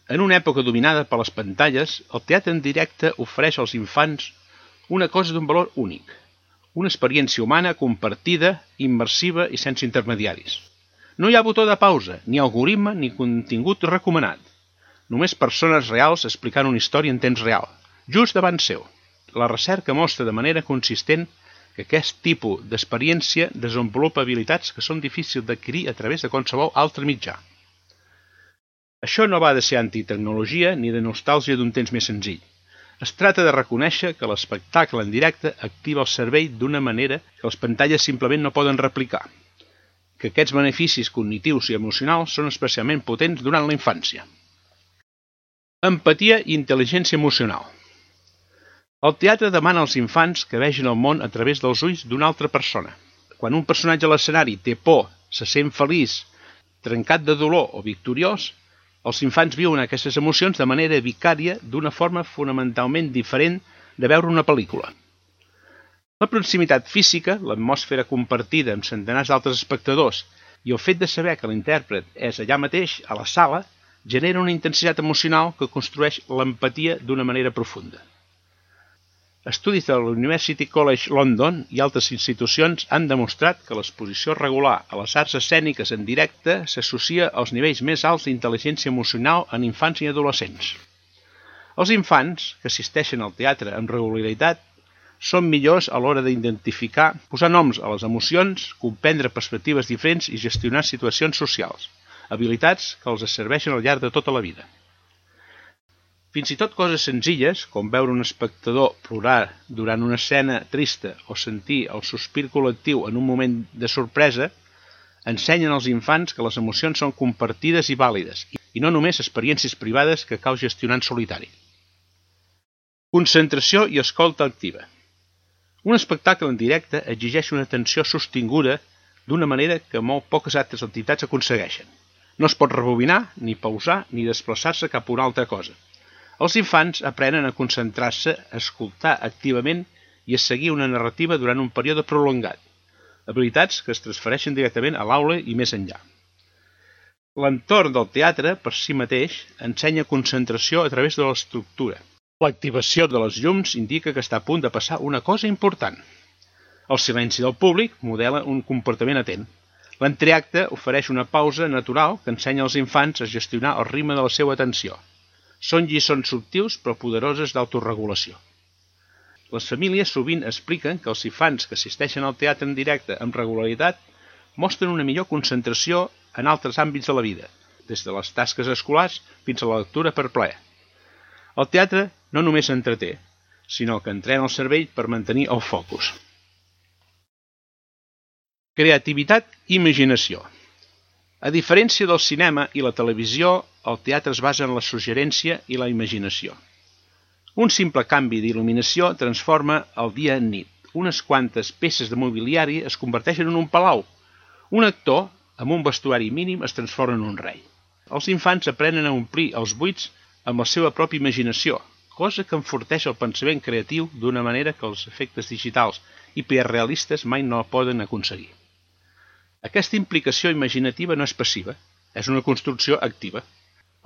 En una època dominada per les pantalles, el teatre en directe ofereix als infants una cosa d'un valor únic, una experiència humana compartida, immersiva i sense intermediaris. No hi ha botó de pausa, ni algoritme, ni contingut recomanat. Només persones reals explicant una història en temps real, just davant seu. La recerca mostra de manera consistent que aquest tipus d'experiència desenvolupa habilitats que són difícils d'adquirir a través de qualsevol altre mitjà. Això no va de ser antitecnologia ni de nostàlgia d'un temps més senzill. Es tracta de reconèixer que l'espectacle en directe activa el cervell d'una manera que les pantalles simplement no poden replicar, que aquests beneficis cognitius i emocionals són especialment potents durant la infància. Empatia i intel·ligència emocional. El teatre demana als infants que vegin el món a través dels ulls d'una altra persona. Quan un personatge a l'escenari té por, se sent feliç, trencat de dolor o victoriós, els infants viuen aquestes emocions de manera vicària d'una forma fonamentalment diferent de veure una pel·lícula. La proximitat física, l'atmosfera compartida amb centenars d'altres espectadors i el fet de saber que l'intèrpret és allà mateix, a la sala, genera una intensitat emocional que construeix l'empatia d'una manera profunda. Estudis de la University College London i altres institucions han demostrat que l'exposició regular a les arts escèniques en directe s'associa als nivells més alts d'intel·ligència emocional en infants i adolescents. Els infants que assisteixen al teatre amb regularitat són millors a l'hora d'identificar, posar noms a les emocions, comprendre perspectives diferents i gestionar situacions socials, habilitats que els serveixen al llarg de tota la vida. Fins i tot coses senzilles, com veure un espectador plorar durant una escena trista o sentir el sospir col·lectiu en un moment de sorpresa, ensenyen als infants que les emocions són compartides i vàlides, i no només experiències privades que cal gestionar en solitari. Concentració i escolta activa. Un espectacle en directe exigeix una atenció sostinguda d'una manera que molt poques altres entitats aconsegueixen. No es pot rebobinar, ni pausar, ni desplaçar-se cap a una altra cosa. Els infants aprenen a concentrar-se, a escoltar activament i a seguir una narrativa durant un període prolongat, habilitats que es transfereixen directament a l'aula i més enllà. L'entorn del teatre, per si mateix, ensenya concentració a través de l'estructura. L'activació de les llums indica que està a punt de passar una cosa important. El silenci del públic modela un comportament atent. L'entreacte ofereix una pausa natural que ensenya als infants a gestionar el ritme de la seva atenció. Són lliçons subtils però poderoses d'autoregulació. Les famílies sovint expliquen que els infants que assisteixen al teatre en directe amb regularitat mostren una millor concentració en altres àmbits de la vida, des de les tasques escolars fins a la lectura per plaer. El teatre no només entreté, sinó que entrena el cervell per mantenir el focus. Creativitat i imaginació. A diferència del cinema i la televisió, el teatre es basa en la suggerència i la imaginació. Un simple canvi d'il·luminació transforma el dia en nit. Unes quantes peces de mobiliari es converteixen en un palau. Un actor, amb un vestuari mínim, es transforma en un rei. Els infants aprenen a omplir els buits amb la seva pròpia imaginació, cosa que enforteix el pensament creatiu d'una manera que els efectes digitals i hiperrealistes mai no poden aconseguir. Aquesta implicació imaginativa no és passiva, és una construcció activa.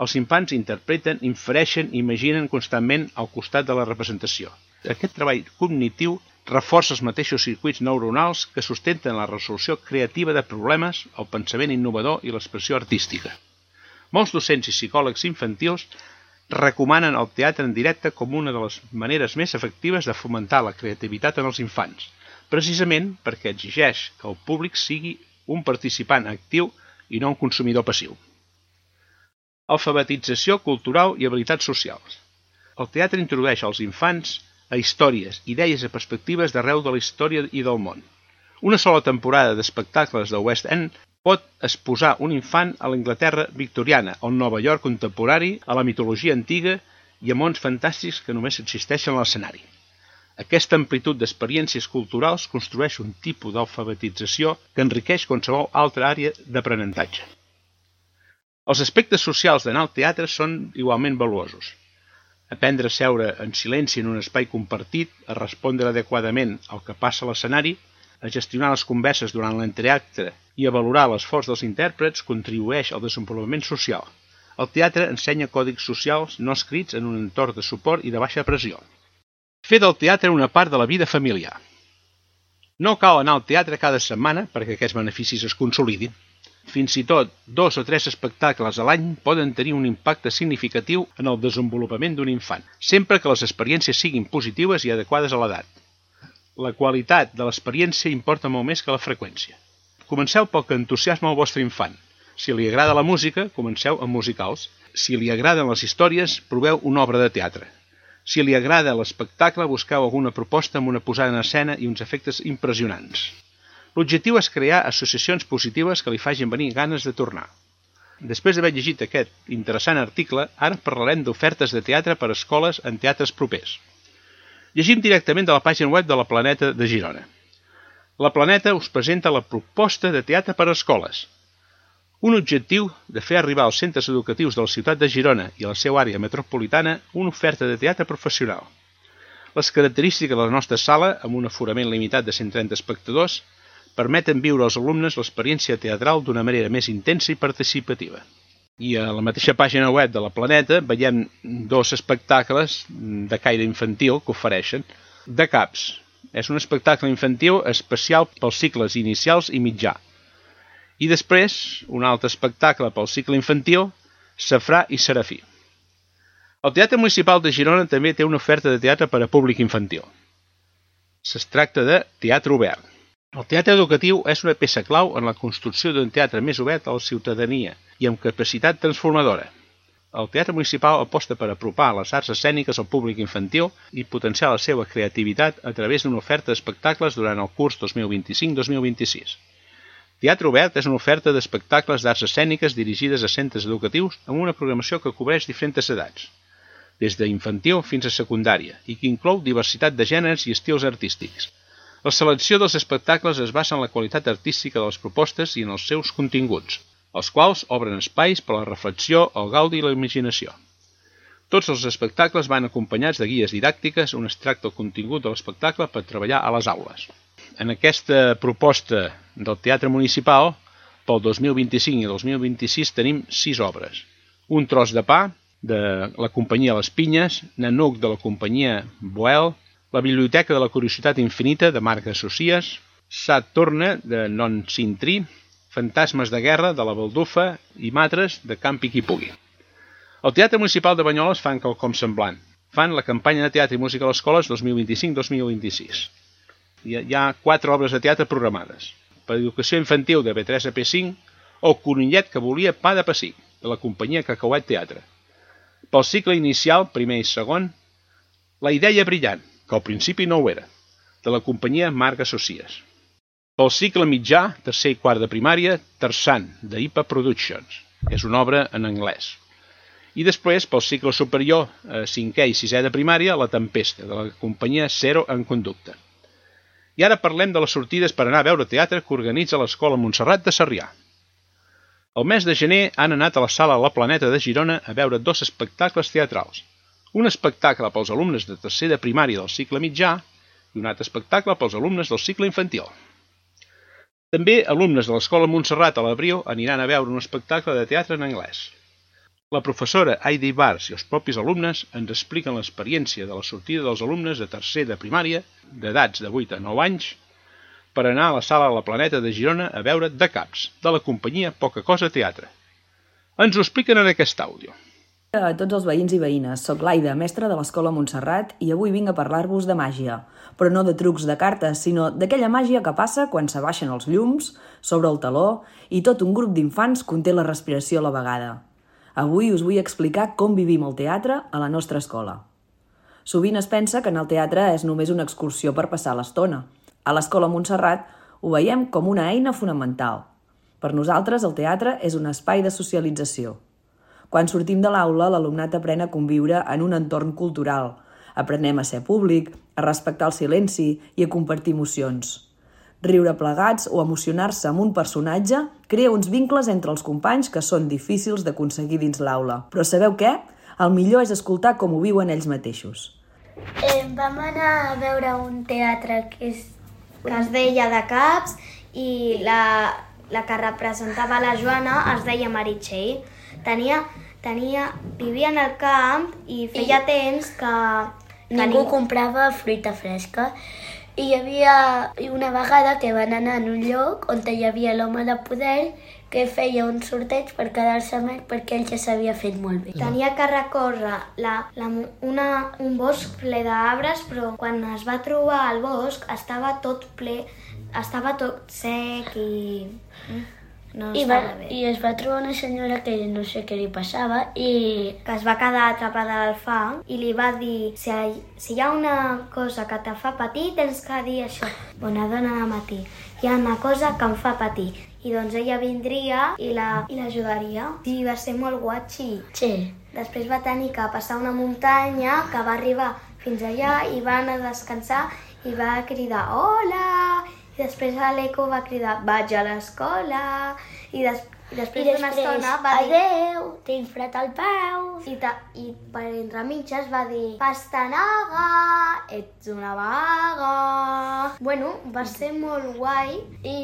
Els infants interpreten, infereixen i imaginen constantment al costat de la representació. Aquest treball cognitiu reforça els mateixos circuits neuronals que sustenten la resolució creativa de problemes, el pensament innovador i l'expressió artística. Molts docents i psicòlegs infantils recomanen el teatre en directe com una de les maneres més efectives de fomentar la creativitat en els infants, precisament perquè exigeix que el públic sigui un participant actiu i no un consumidor passiu. Alfabetització cultural i habilitats socials. El teatre introdueix als infants a històries, idees i perspectives d'arreu de la història i del món. Una sola temporada d'espectacles de West End pot exposar un infant a l'Anglaterra victoriana, al Nova York contemporani, a la mitologia antiga i a mons fantàstics que només existeixen a l'escenari. Aquesta amplitud d'experiències culturals construeix un tipus d'alfabetització que enriqueix qualsevol altra àrea d'aprenentatge. Els aspectes socials d'anar al teatre són igualment valuosos. Aprendre a seure en silenci en un espai compartit, a respondre adequadament al que passa a l'escenari, a gestionar les converses durant l'entreacte i a valorar l'esforç dels intèrprets contribueix al desenvolupament social. El teatre ensenya còdics socials no escrits en un entorn de suport i de baixa pressió. Fer del teatre una part de la vida familiar. No cal anar al teatre cada setmana perquè aquests beneficis es consolidin. Fins i tot dos o tres espectacles a l'any poden tenir un impacte significatiu en el desenvolupament d'un infant, sempre que les experiències siguin positives i adequades a l'edat. La qualitat de l'experiència importa molt més que la freqüència. Comenceu pel que entusiasma el vostre infant. Si li agrada la música, comenceu amb musicals. Si li agraden les històries, proveu una obra de teatre. Si li agrada l'espectacle, busqueu alguna proposta amb una posada en escena i uns efectes impressionants. L'objectiu és crear associacions positives que li facin venir ganes de tornar. Després d'haver llegit aquest interessant article, ara parlarem d'ofertes de teatre per a escoles en teatres propers. Llegim directament de la pàgina web de la Planeta de Girona. La Planeta us presenta la proposta de teatre per a escoles. Un objectiu de fer arribar als centres educatius de la ciutat de Girona i a la seva àrea metropolitana una oferta de teatre professional. Les característiques de la nostra sala, amb un aforament limitat de cent trenta espectadors, permeten viure als alumnes l'experiència teatral d'una manera més intensa i participativa. I a la mateixa pàgina web de la Planeta veiem dos espectacles de caire infantil que ofereixen. De Caps. És un espectacle infantil especial pels cicles inicials i mitjà. I després, un altre espectacle pel cicle infantil, Safrà i Serafí. El Teatre Municipal de Girona també té una oferta de teatre per a públic infantil. Es tracta de teatre obert. El teatre educatiu és una peça clau en la construcció d'un teatre més obert a la ciutadania i amb capacitat transformadora. El Teatre Municipal aposta per apropar les arts escèniques al públic infantil i potenciar la seva creativitat a través d'una oferta d'espectacles durant el curs dos mil vint-i-cinc dos mil vint-i-sis. Teatre Obert és una oferta d'espectacles d'arts escèniques dirigides a centres educatius amb una programació que cobreix diferents edats, des d'infantil fins a secundària, i que inclou diversitat de gèneres i estils artístics. La selecció dels espectacles es basa en la qualitat artística de les propostes i en els seus continguts, els quals obren espais per a la reflexió, el gaudi i la imaginació. Tots els espectacles van acompanyats de guies didàctiques on es tracta el contingut de l'espectacle per treballar a les aules. En aquesta proposta del Teatre Municipal, pel dos mil vint-i-cinc i dos mil vint-i-sis tenim sis obres. Un tros de pa, de la companyia Les Pinyes, Nanuc de la companyia Boel, La Biblioteca de la Curiositat Infinita de Marc Associés, Sat Torna de Non Sintrí, Fantasmes de Guerra de la Baldufa i Matres de Campi qui pugui. El Teatre Municipal de Banyoles fan quelcom semblant. Fan la campanya de teatre i música a les escoles dos mil vint-i-cinc dos mil vint-i-sis. Hi ha quatre obres de teatre programades. Per educació infantil de P tres a P cinc, El conillet que volia pa de pessic, de la companyia Cacauet Teatre. Pel cicle inicial, primer i segon, La idea brillant, que al principi no ho era, de la companyia Marc Associés. Pel cicle mitjà, tercer i quart de primària, Tarzan, de I P A Productions, és una obra en anglès. I després, pel cicle superior, cinquè i sisè de primària, La Tempesta, de la companyia Zero en Conducta. I ara parlem de les sortides per anar a veure teatre que organitza l'Escola Montserrat de Sarrià. El mes de gener han anat a la sala La Planeta de Girona a veure dos espectacles teatrals. Un espectacle pels alumnes de tercer de primària del cicle mitjà i un altre espectacle pels alumnes del cicle infantil. També alumnes de l'Escola Montserrat a l'Abril aniran a veure un espectacle de teatre en anglès. La professora Heidi Bars i els propis alumnes ens expliquen l'experiència de la sortida dels alumnes de tercer de primària, d'edats de vuit a nou anys, per anar a la sala La Planeta de Girona a veure De Caps, de la companyia Poca Cosa Teatre. Ens ho expliquen en aquest àudio. A tots els veïns i veïnes, soc l'Aida, mestra de l'Escola Montserrat, i avui vinc a parlar-vos de màgia, però no de trucs de cartes, sinó d'aquella màgia que passa quan s'abaixen els llums, s'obre el teló i tot un grup d'infants conté la respiració a la vegada. Avui us vull explicar com vivim el teatre a la nostra escola. Sovint es pensa que anar al teatre és només una excursió per passar l'estona. A l'Escola Montserrat ho veiem com una eina fonamental. Per nosaltres el teatre és un espai de socialització. Quan sortim de l'aula, l'alumnat aprèn a conviure en un entorn cultural. Aprenem a ser públic, a respectar el silenci i a compartir emocions. Riure plegats o emocionar-se amb un personatge crea uns vincles entre els companys que són difícils d'aconseguir dins l'aula. Però sabeu què? El millor és escoltar com ho viuen ells mateixos. Eh, vam anar a veure un teatre que, és, que es deia De Caps i la, la que representava la Joana es deia Meritxell. Tenia, tenia, vivia en el camp i feia I temps que... que ningú ning... comprava fruita fresca. I hi havia una vegada que van anar en un lloc on hi havia l'home de poder que feia un sorteig per quedar-se més perquè ell ja s'havia fet molt bé. Tenia que recórrer la, la, una, un bosc ple d'arbres, però quan es va trobar al bosc estava tot ple, estava tot sec i... No I, va, I es va trobar una senyora que no sé què li passava i que es va quedar atrapada al fang i li va dir si, si hi ha una cosa que te fa patir tens que dir això. Bona dona de matí, hi ha una cosa que em fa patir. I doncs ella vindria i l'ajudaria. La, I va ser molt guatxi. Sí. Després va tenir que passar una muntanya que va arribar fins allà i va anar a descansar i va cridar hola! I després l'Eco va cridar vaig a l'escola i, des, i després d'una estona va dir adeu, tinc fred al peu i, ta, i per entre mitges va dir pastanaga, ets una vaga. Bueno, va ser molt guai i,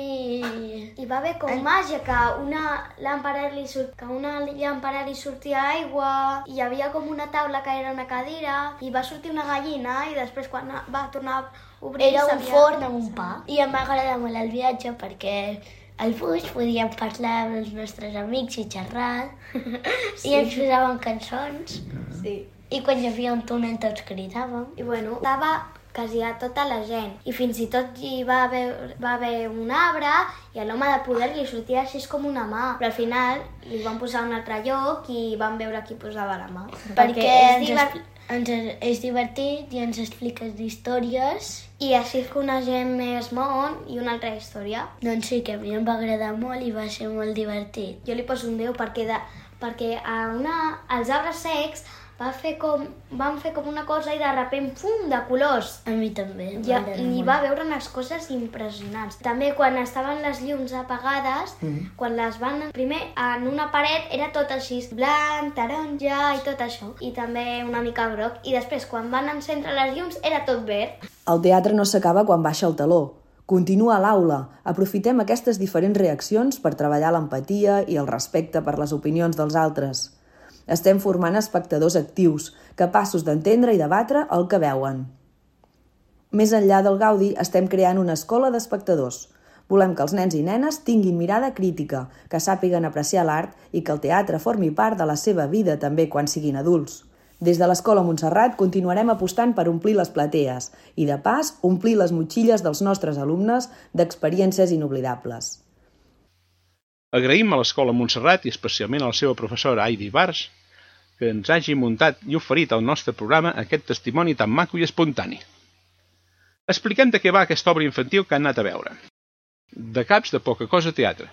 i va haver com màgia que una làmpara li, surt, que una làmpara li sortia aigua i hi havia com una taula que era una cadira i va sortir una gallina i després quan va tornar obrir, era un forn amb un pa. I em va agradar molt el viatge perquè al bus podíem parlar amb els nostres amics i xerrar sí. I ens posaven cançons sí. I quan hi havia un túnel tots cridàvem i bueno, estava quasi a tota la gent i fins i tot hi va haver, va haver un arbre i a l'home de poder li sortia així com una mà, però al final li van posar un altre lloc i van veure qui posava la mà perquè, perquè és, divert... ens és divertit i ens expliques històries i així coneixem més món i una altra història. Doncs sí, que a mi em va agradar molt i va ser molt divertit. Jo li poso un deu perquè, de, perquè a una, als arbres secs va fer com, van fer com una cosa i de repent, pum, de colors. A mi també. Ja, I va veure unes coses impressionants. També quan estaven les llums apagades, mm. quan les van... Primer, en una paret era tot així, blanc, taronja i tot això. I també una mica groc. I després, quan van encendre les llums, era tot verd. El teatre no s'acaba quan baixa el teló. Continua a l'aula. Aprofitem aquestes diferents reaccions per treballar l'empatia i el respecte per les opinions dels altres. Estem formant espectadors actius, capaços d'entendre i debatre el que veuen. Més enllà del gaudi, estem creant una escola d'espectadors. Volem que els nens i nenes tinguin mirada crítica, que sàpiguen apreciar l'art i que el teatre formi part de la seva vida també quan siguin adults. Des de l'Escola Montserrat continuarem apostant per omplir les platees i, de pas, omplir les motxilles dels nostres alumnes d'experiències inoblidables. Agraïm a l'Escola Montserrat i especialment a la seva professora Heidi Bars que ens hagi muntat i oferit al nostre programa aquest testimoni tan maco i espontani. Expliquem de què va aquesta obra infantil que han anat a veure. De Caps de poca cosa teatre.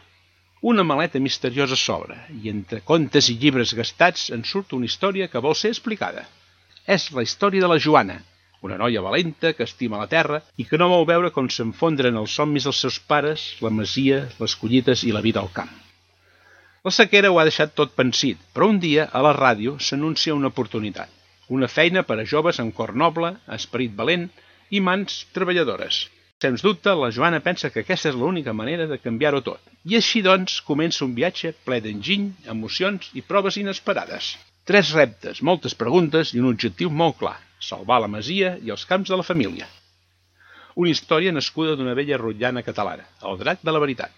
Una maleta misteriosa s'obre i entre contes i llibres gastats en surt una història que vol ser explicada. És la història de la Joana, una noia valenta que estima la terra i que no vol veure com s'enfondren els somnis dels seus pares, la masia, les collites i la vida al camp. La sequera ho ha deixat tot pensit, però un dia a la ràdio s'anuncia una oportunitat, una feina per a joves amb cor noble, esperit valent i mans treballadores. Sens dubte, la Joana pensa que aquesta és l'única manera de canviar-ho tot. I així, doncs, comença un viatge ple d'enginy, emocions i proves inesperades. Tres reptes, moltes preguntes i un objectiu molt clar: salvar la masia i els camps de la família. Una història nascuda d'una vella rotllana catalana, el drac de la veritat,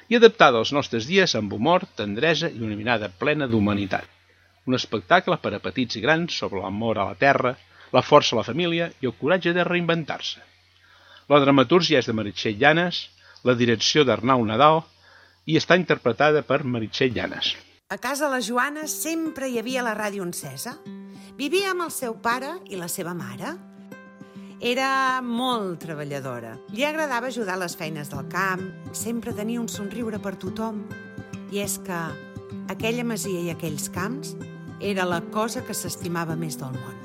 i adaptada als nostres dies amb humor, tendresa i una mirada plena d'humanitat. Un espectacle per a petits i grans sobre l'amor a la terra, la força a la família i el coratge de reinventar-se. La dramatúrgia és de Meritxell Llanes, la direcció d'Arnau Nadal i està interpretada per Meritxell Llanes. A casa la Joana sempre hi havia la ràdio encesa. Vivia amb el seu pare i la seva mare. Era molt treballadora. Li agradava ajudar a les feines del camp, sempre tenia un somriure per tothom. I és que aquella masia i aquells camps era la cosa que s'estimava més del món.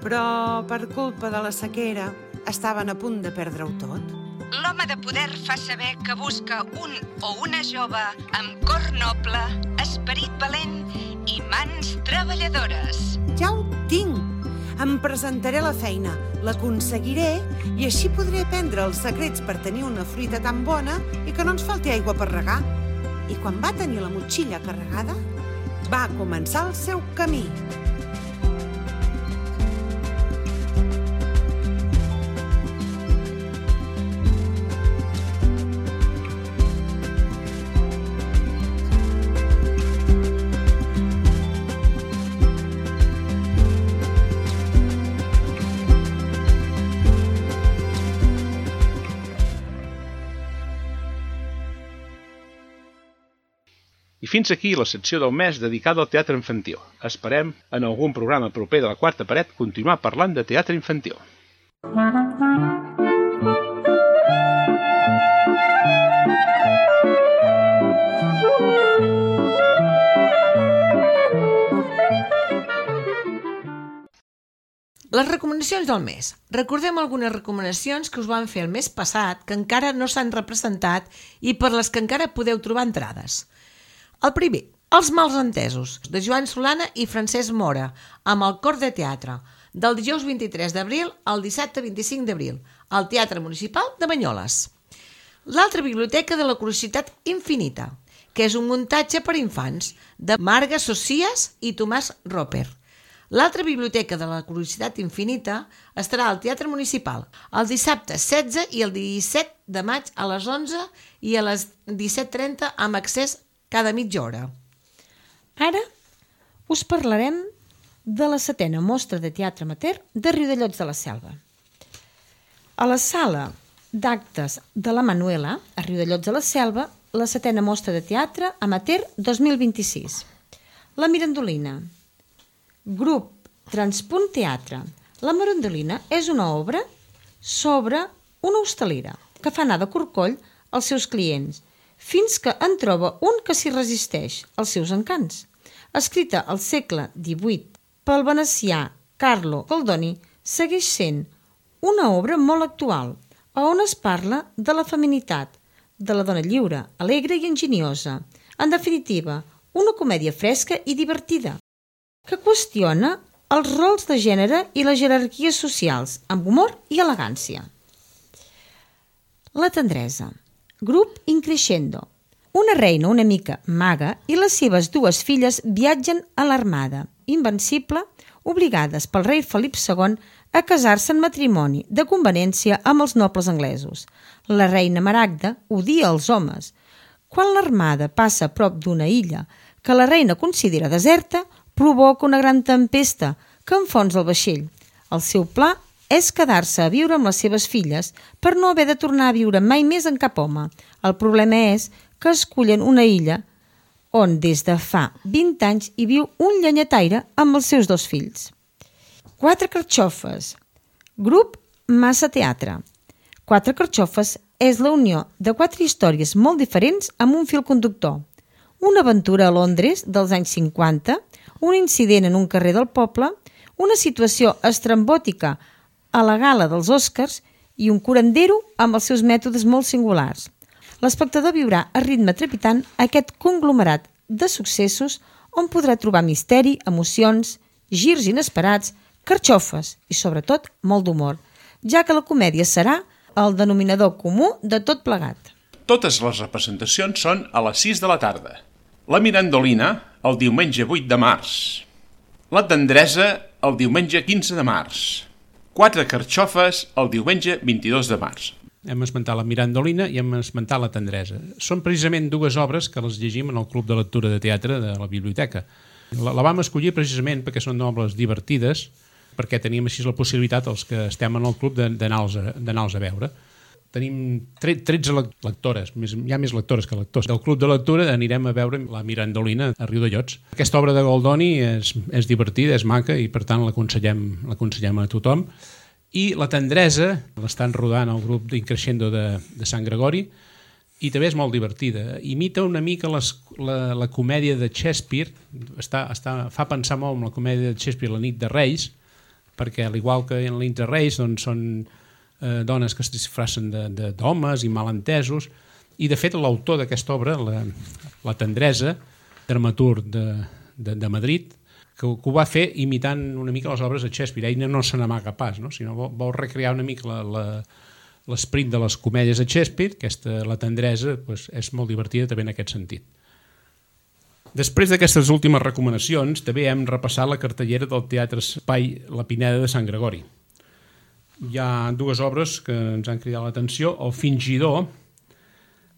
Però per culpa de la sequera estaven a punt de perdre-ho tot. l'home de poder fa saber que busca un o una jove amb cor noble, esperit valent i mans treballadores. Ja ho tinc! Em presentaré a la feina, l'aconseguiré i així podré aprendre els secrets per tenir una fruita tan bona i que no ens falti aigua per regar. I quan va tenir la motxilla carregada, va començar el seu camí. I fins aquí la secció del mes dedicada al teatre infantil. Esperem, en algun programa proper de la Quarta Paret, continuar parlant de teatre infantil. Les recomanacions del mes. Recordem algunes recomanacions que us van fer el mes passat que encara no s'han representat i per les que encara podeu trobar entrades. El primer, Els malsentesos, de Joan Solana i Francesc Mora, amb el Cor de Teatre, del dijous vint-i-tres d'abril al dissabte vint-i-cinc d'abril, al Teatre Municipal de Banyoles. L'altra biblioteca de la Curiositat Infinita, que és un muntatge per infants, de Marga Socias i Tomàs Roper. L'altra biblioteca de la Curiositat Infinita estarà al Teatre Municipal el dissabte setze i el disset de maig a les onze i a les disset trenta amb accés cada mitja hora. Ara us parlarem de la setena mostra de teatre amateur de Riudellots de la Selva. A la sala d'actes de la Manuela, a Riudellots de la Selva, la setena mostra de teatre amateur dos mil vint-i-sis. La Mirandolina. Grup Transpunt Teatre. La Mirandolina és una obra sobre una hostalera que fa anar de corcoll als seus clients, fins que en troba un que s'hi resisteix als seus encants. Escrita al segle divuit pel venecià Carlo Goldoni, segueix sent una obra molt actual, on es parla de la feminitat, de la dona lliure, alegre i enginyosa. En definitiva, una comèdia fresca i divertida, que qüestiona els rols de gènere i les jerarquies socials, amb humor i elegància. La tendresa. Grup Increscendo. Una reina una mica maga i les seves dues filles viatgen a l'armada, invencible, obligades pel rei Felip segon a casar-se en matrimoni de conveniència amb els nobles anglesos. La reina Maragda odia els homes. Quan l'armada passa a prop d'una illa que la reina considera deserta, provoca una gran tempesta que enfonsa el vaixell. El seu pla és quedar-se a viure amb les seves filles per no haver de tornar a viure mai més amb cap home. El problema és que escullen una illa on des de fa vint anys hi viu un llenyataire amb els seus dos fills. Quatre carxofes. Grup Massa Teatre. Quatre carxofes és la unió de quatre històries molt diferents amb un fil conductor. Una aventura a Londres dels anys cinquanta, un incident en un carrer del poble, una situació estrambòtica a la gala dels Oscars i un curandero amb els seus mètodes molt singulars. L'espectador viurà a ritme trepitant aquest conglomerat de successos on podrà trobar misteri, emocions, girs inesperats, carxofes i, sobretot, molt d'humor, ja que la comèdia serà el denominador comú de tot plegat. Totes les representacions són a les sis de la tarda. La Mirandolina, el diumenge vuit de març. La Tendresa, el diumenge quinze de març. Quatre carxofes, el diumenge vint-i-dos de març. Hem esmentat la Mirandolina i hem esmentat la Tendresa. Són precisament dues obres que les llegim en el Club de Lectura de Teatre de la Biblioteca. La, la vam escollir precisament perquè són obres divertides, perquè teníem així la possibilitat, els que estem en el club, d'anar-los a, d'anar-los a veure. Tenim tretze lectores, més, hi ha més lectores que lectors. Del Club de Lectura anirem a veure la Mirandolina a Riudellots. Aquesta obra de Goldoni és, és divertida, és maca i per tant l'aconsellem l'aconsellem a tothom. I la Tendresa l'estan rodant al grup d'Increscendo de, de Sant Gregori i també és molt divertida. Imita una mica les, la, la comèdia de Shakespeare, està, està, fa pensar molt en la comèdia de Shakespeare La nit de Reis, perquè al igual que en La nit de Reis doncs, són eh, dones que es disfressen d'homes i malentesos, i de fet l'autor d'aquesta obra, la, la Tendresa, dramaturg de, de, de Madrid, que, que ho va fer imitant una mica les obres de Shakespeare. Ell no se n'amaga pas, no? Sinó vol, vol recrear una mica la, la, l'esperit de les comèdies de Shakespeare. Aquesta, la Tendresa, pues, és molt divertida també en aquest sentit. Després d'aquestes últimes recomanacions, també hem repassat la cartellera del Teatre Espai La Pineda de Sant Gregori. Hi ha dues obres que ens han cridat l'atenció. El Fingidor,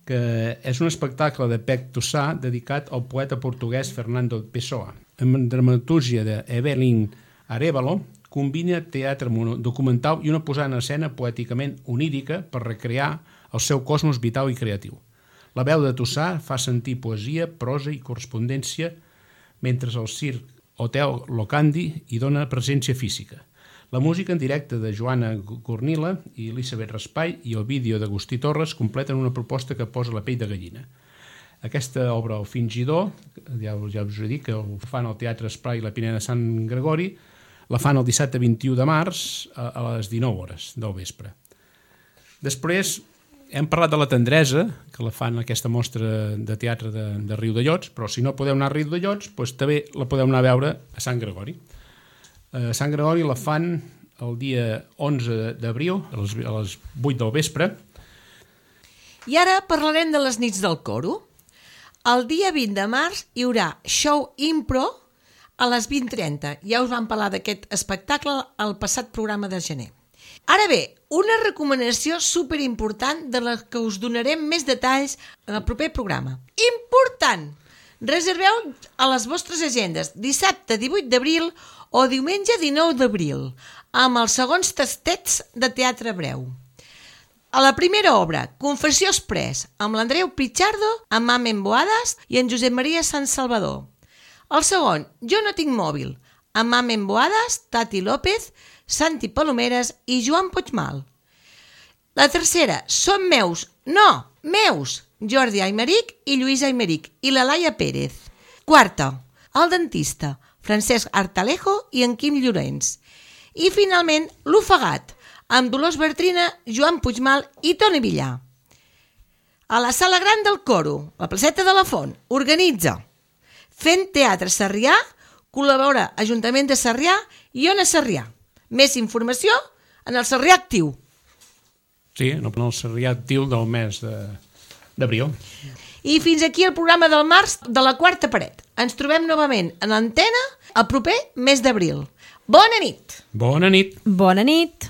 que és un espectacle de Pec Tossà dedicat al poeta portuguès Fernando Pessoa. Amb dramatúrgia d'Evelyn Arévalo, combina teatre documental i una posada en escena poèticament onírica per recrear el seu cosmos vital i creatiu. La veu de Tossà fa sentir poesia, prosa i correspondència, mentre el circ Hotel Locandi hi dona presència física. La música en directe de Joana Cornila i Elisabet Raspai i el vídeo d'Agustí Torres completen una proposta que posa la pell de gallina. Aquesta obra, El Fingidor, ja, ja us he dit que el fan al Teatre Espai La Pineda de Sant Gregori, la fan el dissabte vint-i-u de març a, a les dinou hores del vespre. Després hem parlat de La Tendresa, que la fan aquesta mostra de teatre de, de Riudellots, però si no podeu anar a Riudellots, doncs també la podeu anar a veure a Sant Gregori. A Sant Gregori la fan el dia onze d'abril, a les, a les vuit del vespre. I ara parlarem de les nits del coro. El dia vint de març hi haurà show impro a les vint trenta. Ja us vam parlar d'aquest espectacle al passat programa de gener. Ara bé, una recomanació superimportant de la que us donarem més detalls en el proper programa. Important! Reserveu a les vostres agendes dissabte divuit d'abril o diumenge dinou d'abril amb els segons tastets de Teatre Breu. A la primera obra, Confessió Express, amb l'Andreu Pichardo, amb Mamen Boadas i en Josep Maria Sant Salvador. El segon, Jo no tinc mòbil, amb Mamen Boadas, Tati López, Santi Palomeres i Joan Puigmal. La tercera, Són meus, no, meus, Jordi Aymeric i Lluís Aymeric i la Laia Pérez. Quarta, El dentista, Francesc Artalejo i en Quim Llorenç. I finalment, L'ofegat, amb Dolors Bertrina, Joan Puigmal i Toni Villar. A la Sala Gran del Coro, la placeta de la Font, organitza Fent Teatre Sarrià, col·labora Ajuntament de Sarrià i Ona Sarrià. Més informació en el Sarrià Actiu. Sí, en el Sarrià Actiu del mes d'abril. I fins aquí el programa del març de la Quarta Paret. Ens trobem novament en antena el proper mes d'abril. Bona nit! Bona nit! Bona nit!